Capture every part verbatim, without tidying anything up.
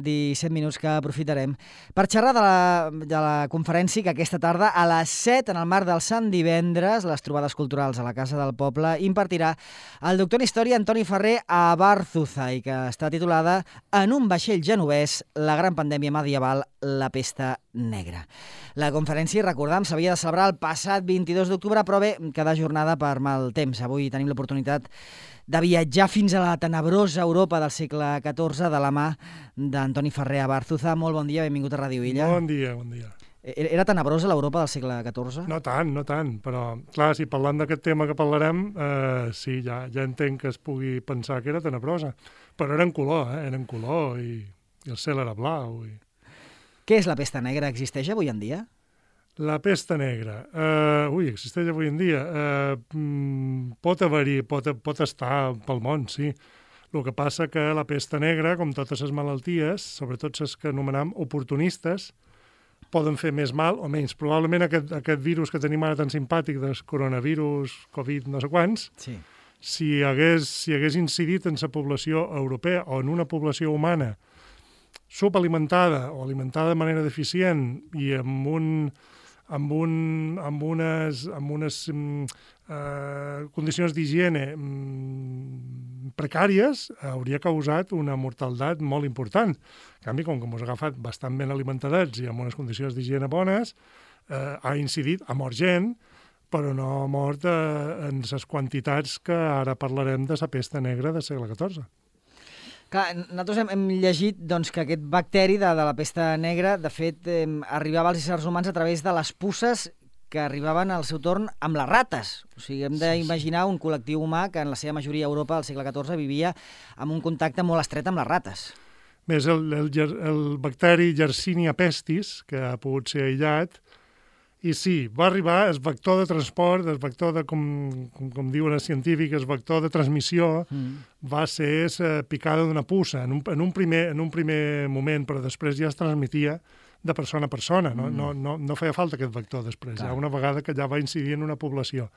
disset minuts que aprofitarem per xerrar de la, de la conferència que aquesta tarda a les set, en el marc del Sant Divendres, les trobades culturals a la Casa del Poble, impartirà el doctor en Història Antoni Ferrer a Abarzuza i que està titulada En un vaixell genovès, la gran pandèmia medieval, la pesta negra. La conferència, recordam, s'havia de celebrar el passat vint-i-dos d'octubre, però bé, queda jornada per mal temps. Avui tenim l'oportunitat de viatjar fins a la tenebrosa Europa del segle catorze de la mà d'Antoni Ferrer a Abarzuza. Molt bon dia, benvingut a Ràdio Illa. Bon dia, bon dia. Era tenebrosa l'Europa del segle catorze? No tant, no tant, però clar, si parlant d'aquest tema que parlarem, eh, sí, ja, ja entenc que es pugui pensar que era tenebrosa, però era en color, eh? Era en color i, i el cel era blau. I... Què és la pesta negra? Existeix avui en dia? La pesta negra. Uh, ui, existeix avui en dia. Uh, mm, pot haver-hi, pot, pot estar pel món, sí. El que passa que la pesta negra, com totes les malalties, sobretot les que anomenem oportunistes, poden fer més mal o menys. Probablement aquest, aquest virus que tenim ara tan simpàtic del coronavirus, Covid, no sé quants, sí. si, hagués, si hagués incidit en la població europea o en una població humana subalimentada o alimentada de manera deficient i amb un... amb, un, amb unes, amb unes mm, eh, condicions d'higiene mm, precàries, hauria causat una mortaldat molt important. En canvi, com que ens ha agafat bastant ben alimentadets i amb unes condicions d'higiene bones, eh, ha incidit, ha mort gent, però no ha mort eh, en les quantitats que ara parlarem de la pesta negra del segle catorze. Clar, nosaltres hem, hem llegit doncs, que aquest bacteri de, de la pesta negra, de fet, eh, arribava als éssers humans a través de les puces que arribaven al seu torn amb les rates. O sigui, hem d'imaginar un col·lectiu humà que en la seva majoria a Europa al segle catorze vivia amb un contacte molt estret amb les rates. Més el, el, el bacteri Yersinia pestis, que ha pogut ser aïllat, i sí, va arribar el vector de transport, el vector de, com, com, com diuen els científics, el vector de transmissió, mm. va ser la picada d'una puça en un, en, un primer, en un primer moment, però després ja es transmetia de persona a persona. No, mm. no, no, no feia falta aquest vector després, Clar. ja una vegada que ja va incidir en una població.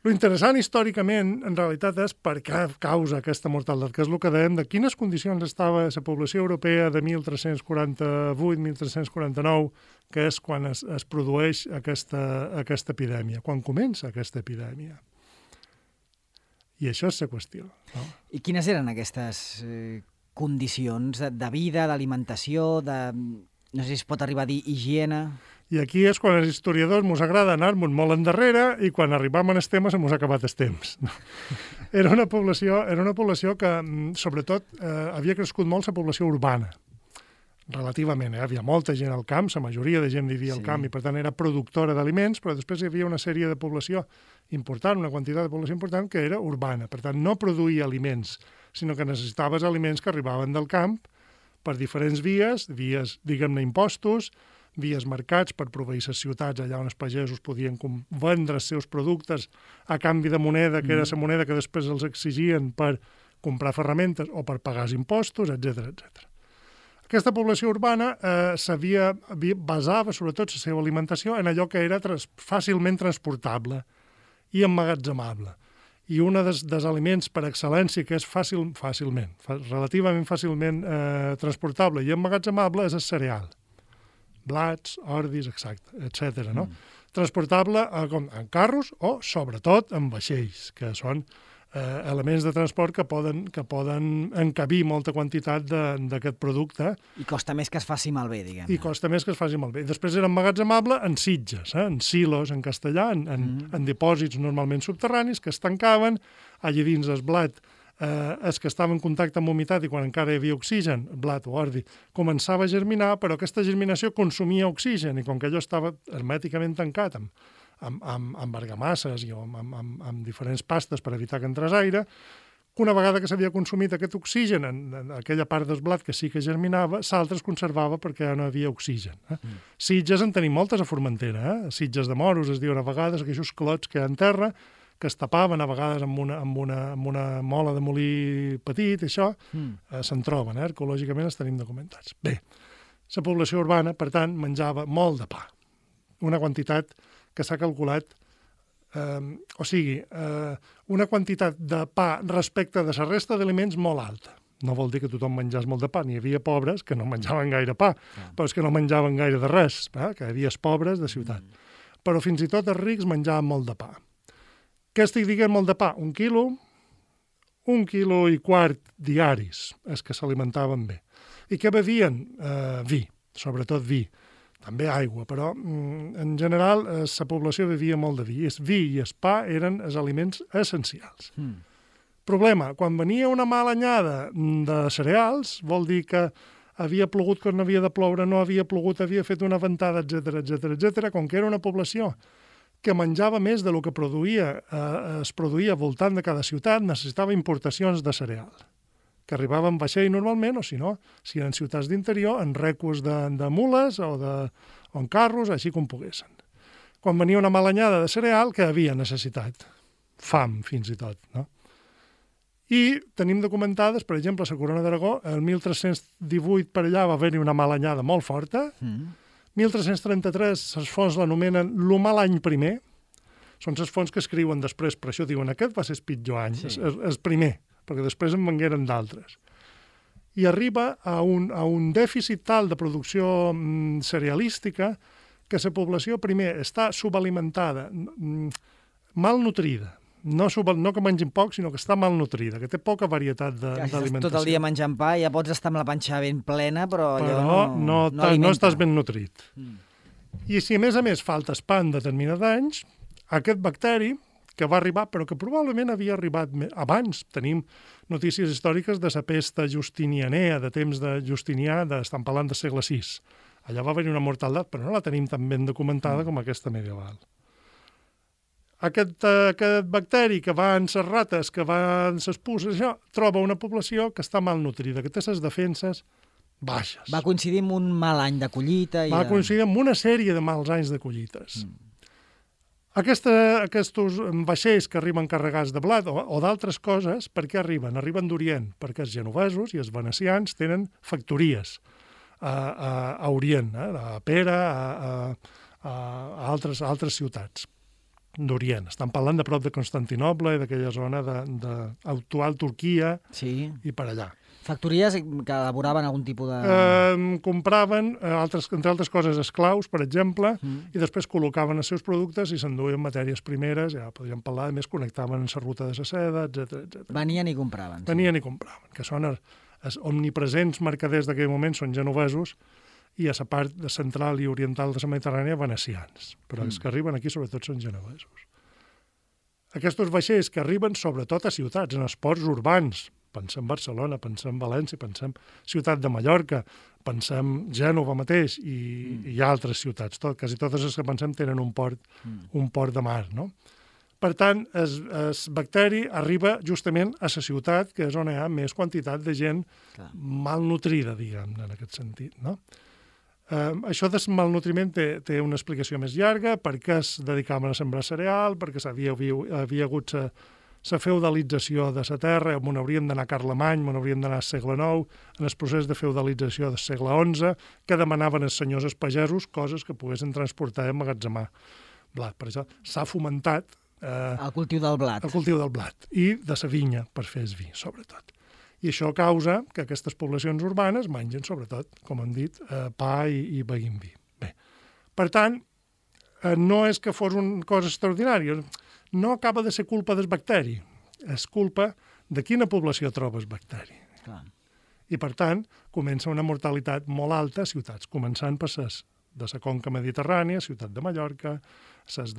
Lo interessant històricament, en realitat, és per què causa aquesta mortalitat, que és el que dèiem de quines condicions estava la població europea de tretze quaranta-vuit a tretze quaranta-nou, que és quan es, es produeix aquesta, aquesta epidèmia, quan comença aquesta epidèmia. I això és la qüestió. No? I quines eren aquestes eh, condicions de, de vida, d'alimentació, de... no sé si es pot arribar a dir higiene... I aquí és quan els historiadors ens agrada anar-nos molt endarrere i quan arribam en el tema se mos ha acabat el temps. Era una població, era una població que, sobretot, eh, havia crescut molt la població urbana, relativament. Eh? Hi havia molta gent al camp, la majoria de gent vivia sí. al camp i, per tant, era productora d'aliments, però després hi havia una sèrie de població important, una quantitat de població important que era urbana. Per tant, no produïa aliments, sinó que necessitaves aliments que arribaven del camp per diferents vies, vies, diguem-ne, impostos, vies mercats per proveir les ciutats allà on els pagesos podien vendre els seus productes a canvi de moneda, que era la moneda que després els exigien per comprar ferramentes o per pagar els impostos, etcètera, etcètera. Aquesta població urbana eh, s'havia basava sobretot la seva alimentació en allò que era trans, fàcilment transportable i emmagatzemable. I un dels, dels aliments per excel·lència que és fàcil, fàcilment, fa, relativament fàcilment eh, transportable i emmagatzemable és el cereal. Blats, ordis, exacte, etcètera. No? Mm. Transportable eh, com en carros o, sobretot, en vaixells, que són eh, elements de transport que poden, que poden encabir molta quantitat d'aquest producte. I costa més que es faci malbé, diguem-ne. I costa més que es faci malbé. Després era emmagatzemable en sitges, eh, en silos, en castellà, en, en, mm. en dipòsits normalment subterranis que es tancaven, allà dins el blat eh, els que estaven en contacte amb humitat i quan encara hi havia oxigen, blat o ordi, començava a germinar, però aquesta germinació consumia oxigen i com que allò estava hermèticament tancat amb, amb, amb, amb argamasses i amb, amb, amb, amb diferents pastes per evitar que entrés aire, una vegada que s'havia consumit aquest oxigen en, en aquella part del blat que sí que germinava, l'altre es conservava perquè ja no hi havia oxigen. Eh? Mm. Sitges en tenim moltes a Formentera, eh? Sitges de moros es diuen a vegades, aquells clots que hi ha en terra, que es tapaven a vegades amb una, amb una, amb una mola de molí petit, això, mm. eh, se'n troben, eh? Arqueològicament els tenim documentats. Bé, la població urbana, per tant, menjava molt de pa, una quantitat que s'ha calculat, eh, o sigui, eh, una quantitat de pa respecte de la resta d'aliments molt alta, No vol dir que tothom menjés molt de pa. N'hi havia pobres que no menjaven gaire pa, ah. però és que no menjaven gaire de res, eh? Que hi havia pobres de ciutat. Mm. Però fins i tot els rics menjaven molt de pa. Què estic dient molt de pa? Un quilo, un quilo i quart diaris, és que s'alimentaven bé. I què bevien? Eh, vi, sobretot vi. També aigua, però mm, en general eh, la població bevia molt de vi. El vi i el pa eren els aliments essencials. Mm. Problema, quan venia una mala anyada de cereals, vol dir que havia plogut quan no havia de ploure, no havia plogut, havia fet una ventada, etcètera, etcètera, etcètera. Com que era una població que menjava més del que produïa, eh, es produïa voltant de cada ciutat, necessitava importacions de cereal, que arribaven en vaixell normalment, o si no, si eren ciutats d'interior, en recus de, de mules o, de, o en carros, així com poguessin. Quan venia una mala anyada de cereal, que havia necessitat? Fam, fins i tot, no? I tenim documentades, per exemple, a la Corona d'Aragó, el mil tres-cents divuit per allà va haver-hi una mala anyada molt forta. Mm. mil tres-cents trenta-tres, les fonts l'anomenen lo mal any primer. Són les fonts que escriuen després, per això diuen aquest va ser el pitjor any, sí. el, el primer, perquè després en vengueren d'altres. I arriba a un, a un dèficit tal de producció mm, cerealística que la població, primer, està subalimentada, mm, malnutrida. No, sub, no que mengin poc, sinó que està malnutrida, que té poca varietat d'alimentació. Tot el dia menjant pa, ja pots estar amb la panxa ben plena, però, però allò no, no, no, no estàs ben nutrit. Mm. I si a més a més faltes pa en determinats anys, aquest bacteri, que va arribar, però que probablement havia arribat abans, tenim notícies històriques de la pesta justinianea, de temps de Justinià, de, estan parlant del segle sis. Allà va haver-hi una mortaldat, però no la tenim tan ben documentada mm. com aquesta medieval. Aquest, aquest bacteri que va en les rates, que va en les puces, això, troba una població que està malnutrida, que té les defenses baixes. Va coincidir amb un mal any de collita. I va de... coincidir amb una sèrie de mals anys de collites. Mm. Aquesta, aquests vaixells que arriben carregats de blat o, o d'altres coses, per què arriben? Arriben d'Orient, perquè els genovesos i els venecians tenen factories a, a, a Orient, eh? A Pera, a, a, a, altres, a altres ciutats d'Orient. Estan parlant de prop de Constantinoble i d'aquella zona d'actual Turquia sí. I per allà. Factories que elaboraven algun tipus de... Eh, compraven, altres, entre altres coses, esclaus, per exemple, mm. i després col·locaven els seus productes i s'enduien matèries primeres, ja podríem parlar, a més connectaven en la ruta de la seda, etcètera, etcètera. Venien i compraven. Venien sí. i compraven, que són els, els omnipresents mercaders d'aquell moment, són genovesos, i a la part central i oriental de la Mediterrània venecians, però mm. els que arriben aquí sobretot són genovesos. Aquests vaixells que arriben sobretot a ciutats, en els ports urbans, pensem Barcelona, pensem València, pensem Ciutat de Mallorca, pensem Gènova mateix i, mm. i altres ciutats, tot, quasi totes les que pensem tenen un port, mm. un port de mar, no? Per tant, el bacteri arriba justament a la ciutat, que és on hi ha més quantitat de gent Clar. Malnutrida, diguem, en aquest sentit, no? Uh, això del malnutriment té, té una explicació més llarga, perquè es dedicaven a sembrar cereal, perquè havia, havia hagut la feudalització de la terra, on hauríem d'anar a Carlemany, on hauríem d'anar al segle nou, en el procés de feudalització del segle onze, que demanaven els senyors els pagesos coses que poguessin transportar i emmagatzemar blat. Per això s'ha fomentat eh, el cultiu del blat. El cultiu del blat i de la vinya per fer el vi, sobretot. I això causa que aquestes poblacions urbanes mengen, sobretot, com hem dit, eh, pa i, i beguin vi. Bé, per tant, eh, no és que fos una cosa extraordinària, no acaba de ser culpa del bacteri, és culpa de quina població troba el bacteri. Clar. I, per tant, comença una mortalitat molt alta a ciutats, començant per ses de la conca mediterrània, Ciutat de Mallorca, ses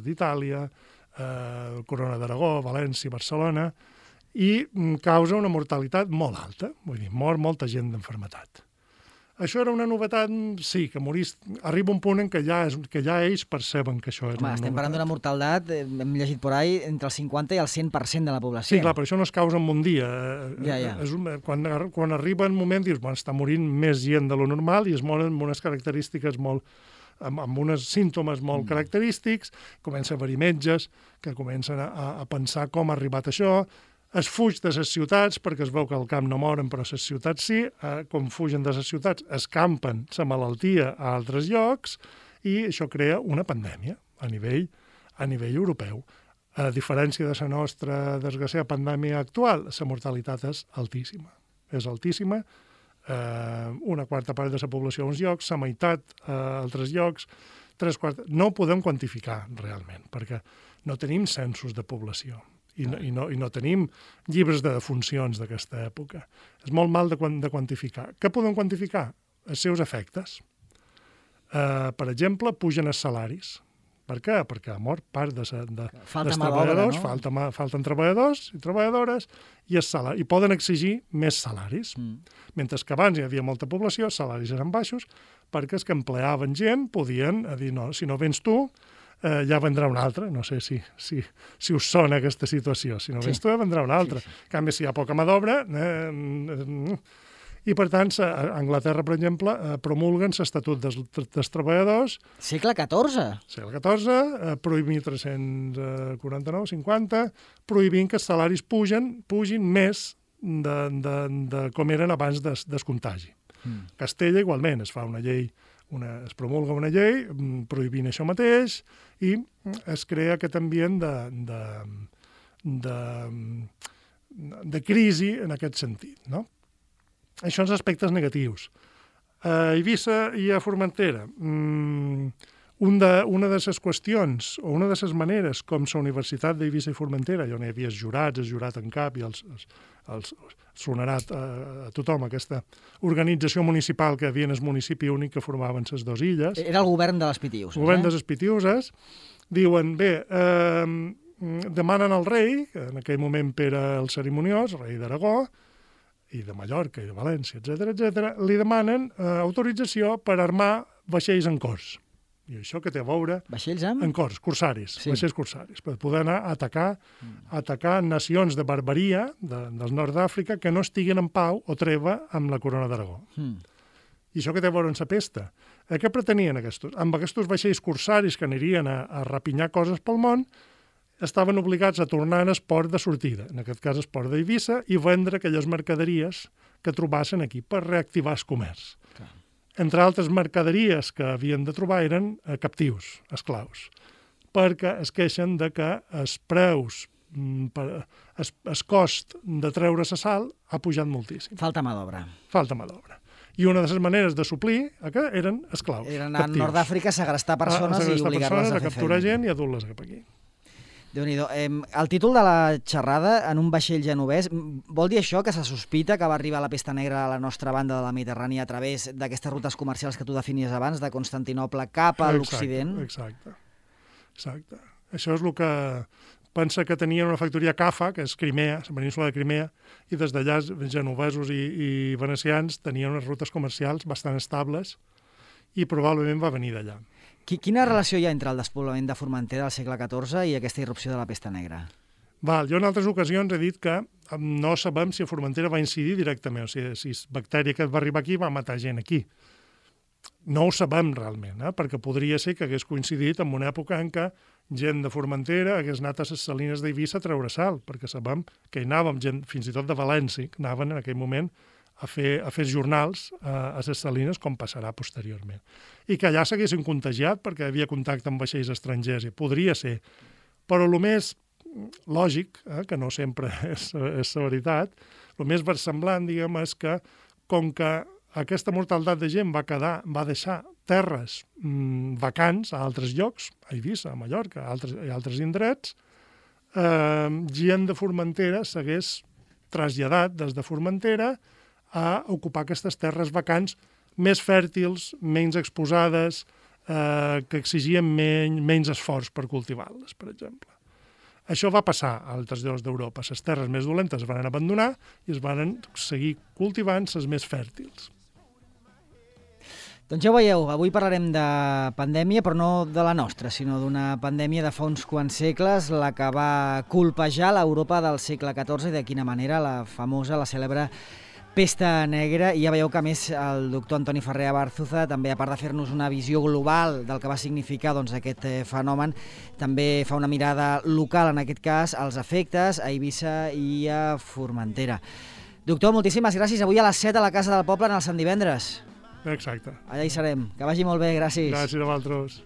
d'Itàlia, eh, Corona d'Aragó, València, Barcelona, i causa una mortalitat molt alta, vull dir, mor molta gent d'enfermetat. Això era una novetat, sí, que morís... Arriba un punt en què ja, és, que ja ells perceben que això és Home, una estem novetat. parlant d'una mortalitat, hem llegit por ahí, entre el cinquanta i el cent per cent de la població. Sí, clar, però això no es causa en un dia. Ja, ja. És un, quan, quan arriba un moment, dius, bueno, està morint més gent de lo normal i es moren amb unes característiques molt... amb, amb uns símptomes molt mm. característics, comença a haver-hi metges que comencen a, a pensar com ha arribat això. Es fuig de les ciutats, perquè es veu que al camp no moren, però les ciutats sí. Eh, com fugen de les ciutats, escampen la malaltia a altres llocs i això crea una pandèmia a nivell, a nivell europeu. A diferència de la nostra desgraciada pandèmia actual, la mortalitat és altíssima. és altíssima, eh, una quarta part de la població a uns llocs, la meitat a altres llocs, tres quartes... No ho podem quantificar realment, perquè no tenim censos de població i no, i no, i no tenim llibres de defuncions d'aquesta època. És molt mal de, de quantificar. Què podem quantificar? Els seus efectes. Eh, per exemple, pugen els salaris. Per què? Perquè ha mort part de, de, dels treballadors, no? Falta, falten treballadors i treballadores i, salari, i poden exigir més salaris. Mm. Mentre que abans hi havia molta població, els salaris eren baixos, perquè els que empleaven gent podien dir, no, si no vens tu, eh, ja vendrà un altre. No sé si, si, si us sona aquesta situació. Si no vens sí. tu, ja vendrà un altre. Sí, sí. En canvi, si hi ha poca mà d'obra... Eh, I, per tant, a Anglaterra, per exemple, promulguen l'Estatut dels, dels Treballadors. Segle catorze. Segle catorze, prohibint mil tres-cents quaranta-nou cinquanta, prohibint que els salaris pugen, pugin més de, de, de com eren abans des, des contagi. Mm. Castella, igualment, es fa una llei, una, es promulga una llei prohibint això mateix i es crea aquest ambient de, de, de, de crisi en aquest sentit, no? Això són aspectes negatius. A Eivissa i a Formentera, mmm, un de, una de les qüestions, o una de les maneres com la Universitat d'Eivissa i Formentera, on hi havia els jurats, el jurat en cap, i els, els, els sonarà a, a tothom aquesta organització municipal que hi havia en el municipi únic que formaven les dues illes. Era el govern de les Pitiuses. El govern eh? de les Pitiuses. Diuen, bé, eh, demanen al rei, que en aquell moment era el cerimoniós, el rei d'Aragó, i de Mallorca i de València, etcètera, etcètera, li demanen eh, autorització per armar vaixells en cors. I això que té a veure... Vaixells amb? En cors, corsaris, sí. Vaixells corsaris, per poder anar a atacar, mm. atacar nacions de barbaria de, del nord d'Àfrica que no estiguin en pau o treva amb la corona d'Aragó. Mm. I això que té a veure amb la pesta. Eh, què pretenien aquests? Amb aquests vaixells corsaris que anirien a, a rapinyar coses pel món, estaven obligats a tornar en el port de sortida, en aquest cas el port d'Eivissa, i vendre aquelles mercaderies que trobassen aquí per reactivar el comerç. Clar. Entre altres mercaderies que havien de trobar eren eh, captius, esclaus, perquè es queixen de que els preus, mm, per, es, es cost de treure la sal ha pujat moltíssim. Falta mà d'obra. Falta mà d'obra. I una de les maneres de suplir que eren esclaus. Eren a Nord d'Àfrica a segrestar persones a, a i obligar-les a fer feina. A capturar gent i a dur-les cap aquí. Déu-n'hi-do. Eh, el títol de la xerrada, en un vaixell genovès, vol dir això, que se sospita que va arribar la pesta negra a la nostra banda de la Mediterrània a través d'aquestes rutes comercials que tu definies abans, de Constantinople cap a l'Occident? Exacte, exacte. Això és el que pensa que tenien una factoria CAFA, que és Crimea, la península de Crimea, i des d'allà genovesos i, i venecians tenien unes rutes comercials bastant estables i probablement va venir d'allà. Quina relació hi ha entre el despoblament de Formentera del segle catorze i aquesta irrupció de la pesta negra? Val, jo en altres ocasions he dit que no sabem si a Formentera va incidir directament, o sigui, si la bactèria que va arribar aquí va matar gent aquí. No ho sabem realment, eh? Perquè podria ser que hagués coincidit en una època en què gent de Formentera hagués anat a les salines d'Eivissa a treure sal, perquè sabem que hi anàvem gent, fins i tot de València, que anaven en aquell moment a fer, a fer jornals a, a les salines, com passarà posteriorment. I que allà s'haguessin contagiat perquè hi havia contacte amb vaixells estrangers, i podria ser. Però el més lògic, eh, que no sempre és, és la veritat, el més versemblant, diguem, és que com que aquesta mortalitat de gent va quedar, va deixar terres mmm, vacants a altres llocs, a Eivissa, a Mallorca, a altres, a altres indrets, eh, gent de Formentera s'hagués traslladat des de Formentera a ocupar aquestes terres vacants més fèrtils, menys exposades, eh, que exigien menys, menys esforç per cultivar-les, per exemple. Això va passar a altres llocs d'Europa. Les terres més dolentes es van abandonar i es van seguir cultivant les més fèrtils. Doncs ja ho veieu, avui parlarem de pandèmia, però no de la nostra, sinó d'una pandèmia de fa uns quants segles, la que va colpejar l'Europa del segle catorze i de quina manera la famosa, la cèlebre pesta negra. I ja veieu que, a més, el doctor Antoni Ferrer Abarzuza, també, a part de fer-nos una visió global del que va significar doncs, aquest fenomen, també fa una mirada local, en aquest cas, als efectes a Eivissa i a Formentera. Doctor, moltíssimes gràcies. Avui a les set a la Casa del Poble, en el Sant Divendres. Exacte. Allà hi serem. Que vagi molt bé, gràcies. Gràcies a vosaltres.